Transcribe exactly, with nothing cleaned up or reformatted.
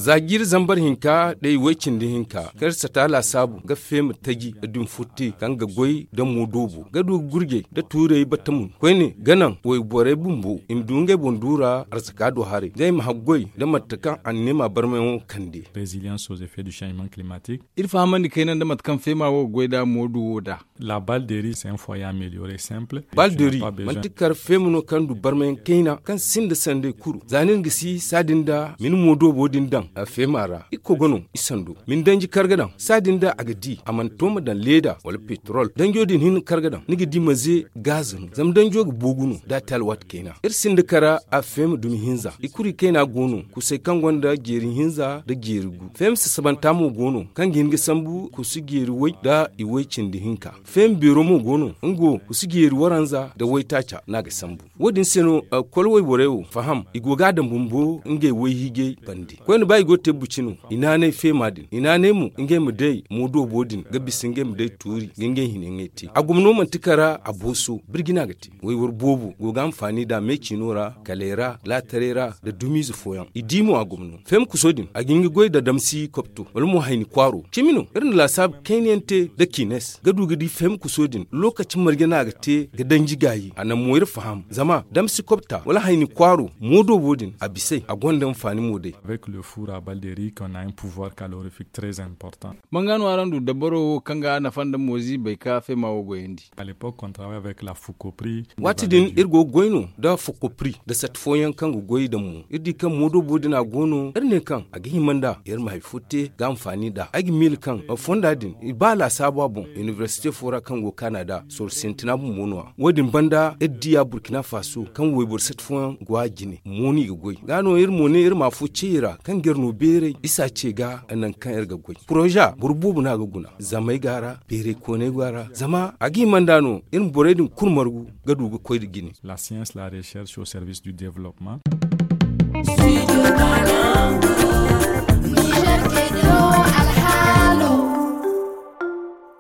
Za jiiri zambar hinka da i way cindi hinka kaŋ iri sata laasaabu ga feema taji nda dumi furti kaŋ ga goy nda moodoobo ga du ga gurjay nda tuurey battamun koyne ga naŋ wayborey bumbo i ma du ngey boŋ duura arzaka do haray ngey ma haggoy nda mate kaŋ anniya ma barmayaŋo kande. Iri fahamandi kayna nda mate kaŋ feema wo ga goy nd'a moodu wo nd'a. Balderi manti kar feema no kaŋ du barmayaŋ kayna kaŋ sinda sanday kulu za nin ga si saadin da ma ni moodoobo din daŋ feema ra. Ikko ga no i sando ma ni danji kar ga daŋ saadin da a ga di a mana to ma daŋ leeda wala petrol danjo din hinne kar ga daŋ ni ga di ma ze gaaza no zama danjo ga boogu no da a te alwaati kayna. Iri sinda kara a feema dumi hinza i kuri kayna go no kusay kaŋ gonda jeeri hinza nda jeeri gu feema sasabanta mo go no kaŋ ga hin ga sambu kusu jeeri way nda i way cindi hinka. Feema beero mo go no nga wo kusu jeeri waranza nda waytaaca no a ga sambu. Wo- din se no kol wayborey wo faham i go ga a daŋ bumbo ngey wayhiijay bande koyne ba i go ga te buci no i naanay feema din i naanay mo ngey ma day moodoobo din ga bisa ngey ma day tuuri ga ngey hinayaŋey te a gomno manti kara a booso birji no a ga te. Wayboro boobo go ga hanfaani nd'a meeciino ra kaley ra laataray ra nda dumiize fooyaŋ i di mo a gomno feema kuso din a ga hin ga goy nda damsi kopto wala mo hayni kwaaro cimi no iri na laasaabu kayna yaŋ te nda kines ga du ga di feema kuso din lookaci marje no a ga te ga danji gaayi a naŋ mo iri faham zama damsi kopta wala hayni kwaaro moodoobo din a bis'ey a gonda hanfaani mo day. Banga no araŋ du dabaro wo kaŋ ga nafa nda moozi bay ka feema wo goyandi. Waati din iri go ga goy no nda fokopri nda sat fooyaŋ kaŋ ga goy daŋ mo iri di kaŋ moodoobo din a go no iri ne kaŋ a ga hima nd'a iri ma hari fo te ga hanfaani nd'a ay ga miila kaŋ fonda din i ba laasaabu a boŋ inibersite fo ra kaŋ go ga kaana nd'a sorro sintina bumbo no- ya wo- din banda iri di ya burkina faso kaŋ wayboro sat fooyaŋ go a jine mo no i ga goy ga no iri mo ne iri ma afo ce i ra kaŋ ga iri no beeray isa ce ga nangu kaŋ iri ga goy poroza boro boobo no a ga guna zamey go a ra beeray kooney go a ra zama a ga hima nd'a no iri ma borey din kulu margu ga du ga koy nda jine. La science la recherche au service du développement.